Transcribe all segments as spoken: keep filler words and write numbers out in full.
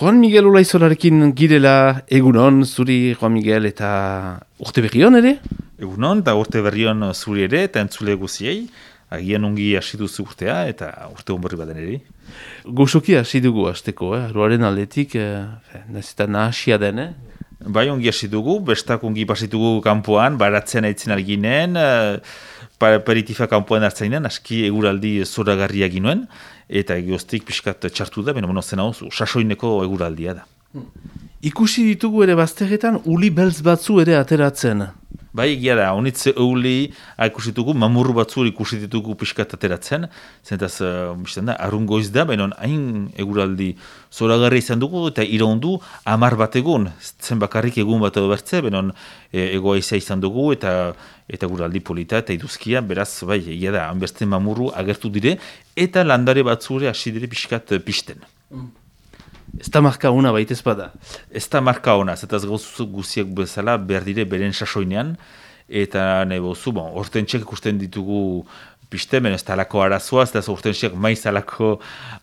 Juan Miguel Olaizolarekin girela egunon zuri Juan Miguel eta urte berrion ere? Egunon eta urte berrion zuri ere eta entzule guziei. Agian ongi hasi duzu urtea eta urte hon berri baden ere. Gozoki hasi dugu hasteko, eh? Aroaren aldetik, eh, nahiz eta nahasia den, eh? Bai, ongi hasi dugu, bestak ongi pasitugu kanpoan, baratzen aitzen alginen, aperitifak kanpoan hartzainen, aski eguraldi zoragarria ginuen, eta egioztik pixkat txartu da, beno monozen hau, sasoineko eguraldia da. Ikusi ditugu ere bazterretan, uli beltz batzu ere ateratzen. Bai, egia da, honitze euli ikusi ditugu, mamurru batzu ikusi ditugu pixkat ateratzen, zentaz, uh, da, arrungoiz da, baina hain eguraldi zoragarri izan dugu, eta iraundu amar bat egun, zen bakarrik egun bat edo bertze, baina e, egoa izan dugu, eta eta eguraldi polita, eta iduzkia, beraz, bai, egia da, hanbeste mamurru agertu dire, eta landare batzure hasi dire pixkat pisten. Mm. Ez da marka ona baitez bada. Ez da marka ona, zetaz gauzu guziak bezala behar dire beren sasoinean, eta nahi bozu, bon, hortentxek ikusten ditugu piste, men ez da alako arazoa, ez da hortentxek maiz alako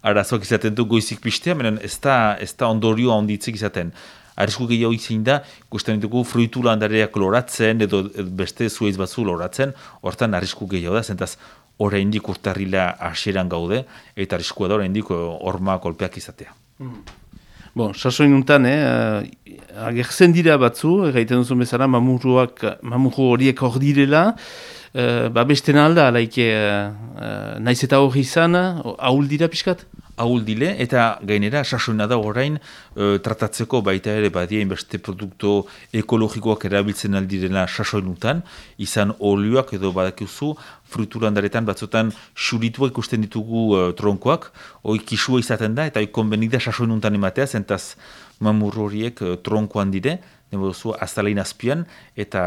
arazoak izaten du goizik pistea, men ez da, ez da ondorio handitzik izaten. Arrisku gehiago izin da, ikusten ditugu fruitu landareak loratzen, edo beste zueiz batzu loratzen, hortan arrisku gehiago da, zentaz oraindik urtarrila hasieran gaude, eta arriskua da oraindik horma kolpeak izatea. Mm. Bon, sasoin untan, eh, agertzen dira batzu, gaiten duzun bezala, mamurruak, mamurru horiek hor direla, eh, ba besten alda, alaike, eh, naiz eta hori izan, ahul dira pixkat? Ahul dile, eta gainera, sasoina da orain, e, tratatzeko baita ere badia inbeste produktu ekologikoak erabiltzen aldirela sasoinutan, izan olioak edo badakizu, fruiturandaretan batzutan xurituak ikusten ditugu e, tronkoak, hoi kisua izaten da, eta hoi konbenida sasoinuntan ematea, zentaz mamurro horiek e, tronkoan dire, nebo duzu, azalein azpian, eta,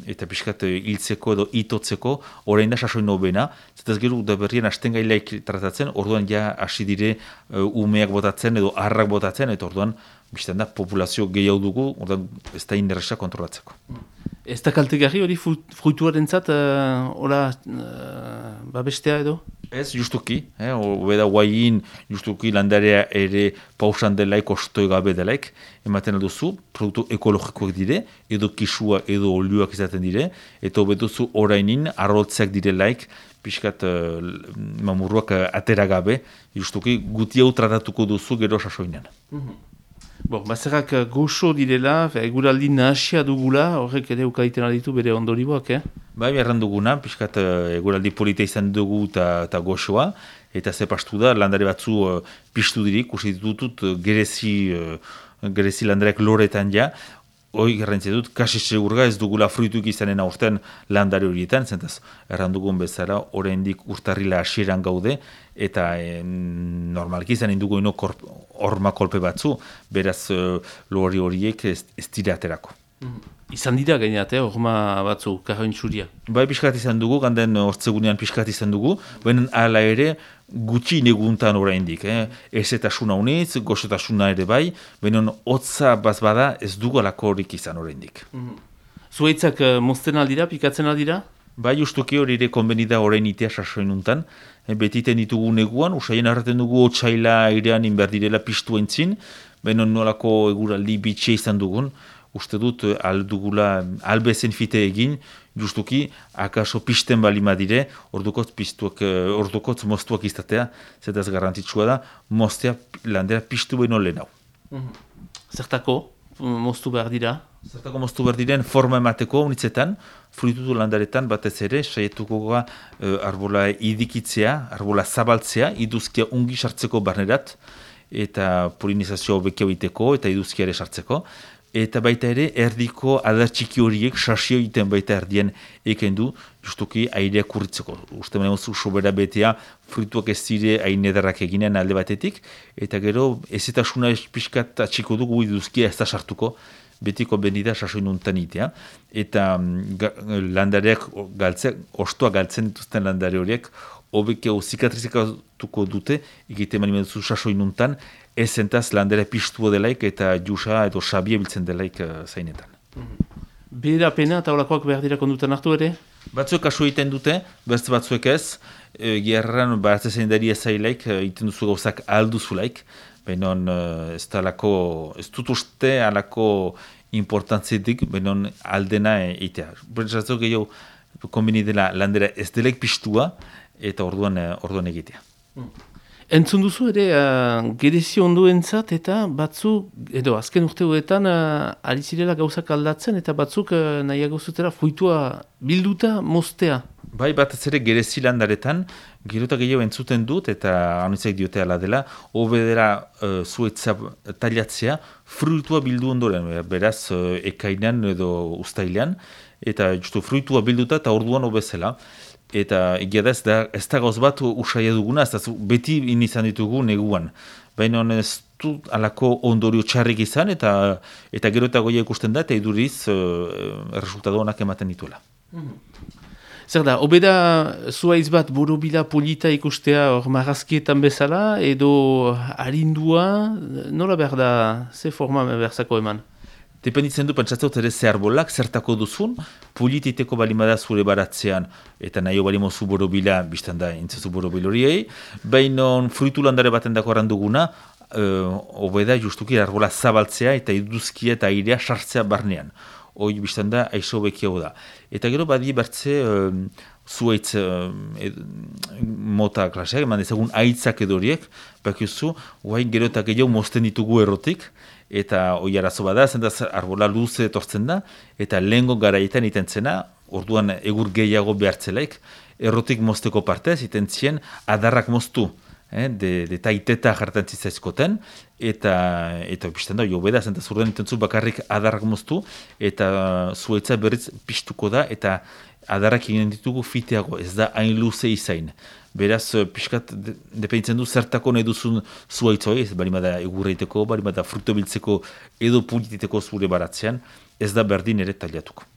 eta pixkat hiltzeko edo itotzeko, orain da sasoin nobena, zetaz gero da berrien hasten gailaik tratatzen, orduan ja hasi dire uh, umeak botatzen edo harrak botatzen, eta orduan, biztan da, populazio gehiago dugu, orduan ez da inderresa kontrolatzeko. Ez da kaltegarri hori fruituaren zat, uh, hola, uh, babestea edo? Ez, justuki, eh, obeda guain, justuki landarea ere pausan delaik, ostoi gabe delaik, ematen alduzu, produktu ekologikoak dire, edo kisua edo olioak izaten dire, eta obeduzu orainin arrotzeak direlaik, pixkat uh, mamurruak uh, atera gabe, justuki guti hau tratatuko duzu gero sasoinan. Mm-hmm. Bon, bazerrak goxo direla, eguraldi nahasia dugula, horrek ere ukaiten aditu bere ondorioak, eh? Bai, erran duguna, pixkat uh, eguraldi polita izan dugu eta goxoa, eta ze pastu da, landare batzu uh, piztu dirik, usi ditutut uh, gerezi, uh, gerezi landareak loretan ja, hoi garrantzia dut, kasi segurga ez dugula fruituik izanen aurten landare horietan, zentaz, erran dugun bezala, oraindik urtarrila hasieran gaude, eta eh, normalki izanen dugu ino horma kolpe batzu, beraz uh, lori horiek ez, ez dira aterako. Mm. Izan dira gaineat, eh, horma batzu, karroin txuria. Bai, pixkat izan dugu, ganden hortzegunean pixkat izan dugu, baina ala ere gutxi neguntan oraindik. Eh? Ezetasuna unitz, gozotasuna ere bai, baina hotza bazbada ez dugu alako horik izan oraindik. Mm-hmm. Zuaitzak uh, mozten aldira, pikatzen aldira? Bai, justuki hori ere konbenida orain itea sasoinuntan. Eh, betiten ditugu neguan, usaien arraten dugu otsaila airean inberdirela piztu entzin, baina nolako eguraldi bitxia izan dugun, uste dut aldugula albezen fite egin, justuki akaso pisten balima dire, ordukotz piztuak, ordukotz moztuak izatea, zetaz garrantzitsua da, moztea landera piztu behin olen hau. Mm-hmm. Zertako moztu behar dira? Zertako moztu behar diren forma emateko unitzetan, fruitutu landaretan batez ere, saietuko goga uh, arbola idikitzea, arbola zabaltzea, iduzkia ungi sartzeko barnerat, eta polinizazioa hobekio biteko, eta iduzkia ere sartzeko, eta baita ere, erdiko adar txiki horiek sasio egiten baita erdien eken du, justuki airea kurritzeko. Uste baina mozu sobera betea, fruituak ez zire hain edarrak eginen alde batetik, eta gero ezetasuna pixkat atxiko dugu iduzkia ez da sartuko, betiko benida sasoinuntan itea, eta ga, landareak galtzea, ostoa galtzen dituzten landare horiek, hobekeo zikatrizikatuko dute, egiten mani meduzu sasoinuntan, ez zentaz landare piztua delaik eta jusa edo sabia biltzen delaik uh, zainetan. Mm-hmm. Bera pena eta holakoak behar dira kondutan hartu ere? Batzuek aso egiten dute, beste batzuek ez, e, gerran baratzezen dari ezailaik, egiten duzu gauzak alduzulaik, baina uh, ez, alako, ez dut uste alako importantzietik, baina aldena eitea. Bertzatzok gehiago, konbini dela landera ez delek pistua, eta orduan, orduan egitea. Mm. Entzun duzu ere, uh, gerezio onduentzat eta batzuk, edo azken urteoetan uh, ari zirela gauzak aldatzen eta batzuk uh, nahiago zutera fruitua bilduta moztea. Bai, bat ez ere gerezi landaretan, gerota gehiago entzuten dut eta anitzak diote ala dela, obedera uh, zuetza taliatzea fruitua bildu ondoren, beraz uh, ekainan edo ustailean, eta justu fruitua bilduta eta orduan obezela. Eta egia da ez da, ez da gauz bat usaia duguna, ez da beti inizan ditugu neguan. Baina ez du alako ondorio txarrik izan, eta eta gero eta goia ikusten da, eta iduriz uh, resultado honak ematen dituela. Mm-hmm. Zer da, obeda zuaiz bat borobila polita ikustea hor marrazkietan bezala, edo harindua, nola behar da, ze forma berzako eman? Dependitzen du, pentsatzot ere ze arbolak, zertako duzun, polititeko balimada zure baratzean, eta nahi balimozu borobila, biztan da, intzazu borobiloriei, baina fruitu landare baten dako arranduguna, uh, obeda justuki arbola zabaltzea, eta iduzkia eta airea sartzea barnean. Hoi biztan da, aiso bekiago da. Eta gero badi bertze, uh, zuaitz uh, ed, mota klaseak, eman ezagun aitzak edoriek, bakiuzu, guain gero eta gehiago mozten ditugu errotik, eta hoi arazo bada, zentaz arbola luze etortzen da, eta lehengo garaietan itentzena, orduan egur gehiago behartzelaik, errotik mozteko partez, itentzien adarrak moztu, eh, de, de taiteta jartan zitzaizkoten, eta, eta bizten da, jo beda, zentaz urdean itentzu bakarrik adarrak moztu, eta zuetza berriz piztuko da, eta adarrak egin ditugu fiteago, ez da hain luze izain. Beraz, pixkat, dependitzen du zertako nahi duzun zuaitzoi, ez bari bada egurreiteko, bari bada fruto biltzeko edo pulititeko zure baratzean, ez da berdin ere taliatuko.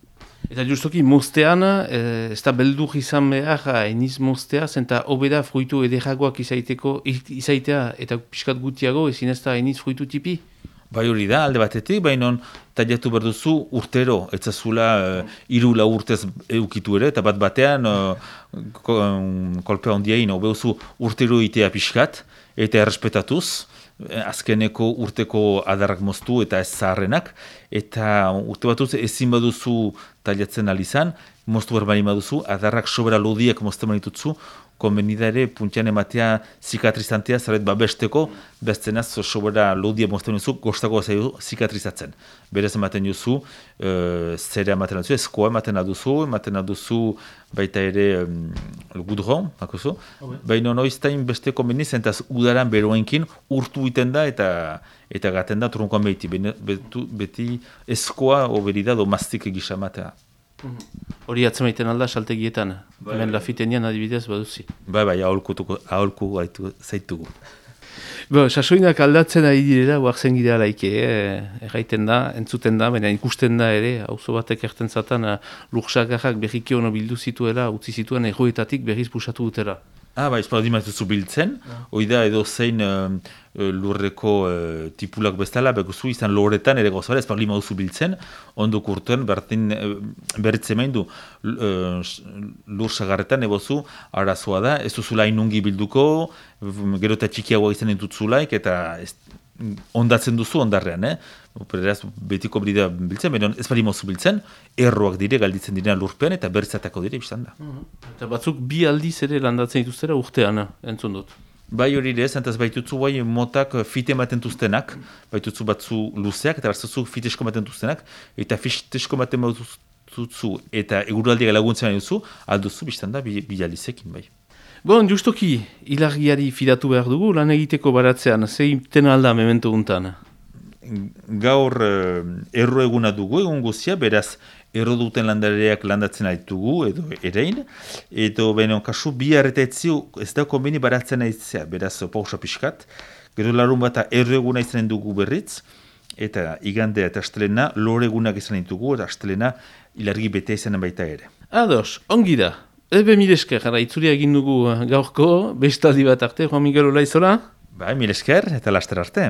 Eta justoki, moztean, eh, ez da beldur izan behar, eniz moztea, zenta obeda fruitu ederagoak izaiteko, izaitea, eta pixkat gutiago, ezin ez da eniz fruitu tipi? Bai hori da, alde batetik, baina taliatu behar duzu urtero, ez zazula uh, iru lau urtez eukitu ere, eta bat batean uh, kolpea ondiain, obehuzu urtero itea pixkat, eta errespetatuz, azkeneko urteko adarrak moztu eta ez zaharrenak, eta urte batuz ezin baduzu taliatzen alizan, moztu behar bali baduzu, adarrak sobera lodiak mozten manitutzu, konbenida ere puntian ematea zikatrizantea zaret babesteko, beztenaz sobera lodia mozten duzu, gostako zaitu zikatrizatzen. Berez ematen duzu, e, zera ematen duzu, eskoa ematen duzu, ematen duzu baita ere um, gudron, bakozu. Okay. Baina noiztain beste konbeniz, entaz udaran beroenkin urtu iten da eta eta gaten da trunkoan beti, beti, beti eskoa oberida do mastik egisa ematea. Hori atzemaiten alda saltegietan, bai, hemen lafitenian adibidez baduzi. Bai, bai, aholku gaitu zaitugu. Bo, sasoinak aldatzen ari direla, huartzen gidea laike, eh? Erraiten da, entzuten da, baina ikusten da ere, auzo batek erten zatan, lursagarrak berriki ono bildu zituela, utzi zituen erroetatik berriz pusatu dutela. Ah, bai, espaldi maizuzu biltzen, hoi da edo zein uh, lurreko uh, tipulak bezala, beguzu izan loretan ere gozara, espaldi maizuzu biltzen, ondo kurtuen bertin uh, berritzen main du uh, lur sagarretan ebozu arazoa da, ez duzula inungi bilduko, gero eta txikiagoa izan entutzulaik, eta ez, ondatzen duzu ondarrean, eh? Beraz, betiko brida biltzen, baina ez bali mozu biltzen, erroak dire, galditzen dira lurpean, eta berrizatako dire biztan da. Mm-hmm. Eta batzuk bi aldiz ere landatzen dituztera urtean, entzun dut. Bai hori ere, zentaz baitutzu bai motak fite ematen duztenak, baitutzu batzu luzeak, eta batzu fitesko ematen duztenak, eta fitesko ematen duztenak, eta eguraldiak laguntzen duzu, alduzu biztan da, bi, bi aldizekin bai. Bon, justoki, ilargiari fidatu behar dugu, lan egiteko baratzean, zeiten alda memento untan? Gaur uh, erro eguna dugu, egun guzia, beraz, erro duten landareak landatzen aitugu, edo erein, edo benen kasu bi arretaetzi ez da konbeni baratzen aitzea, beraz, pausa pixkat, gero larun bat erro eguna izanen dugu berriz, eta igandea eta astelena, lore egunak izanen dugu, eta astelena ilargi bete izanen baita ere. Ados, ongi da. Ebe mil esker, jara, itzuria egin dugu gaurko, bestaldi bat arte, Juan Miguel Olaizola? Bai, mil esker, eta laster arte.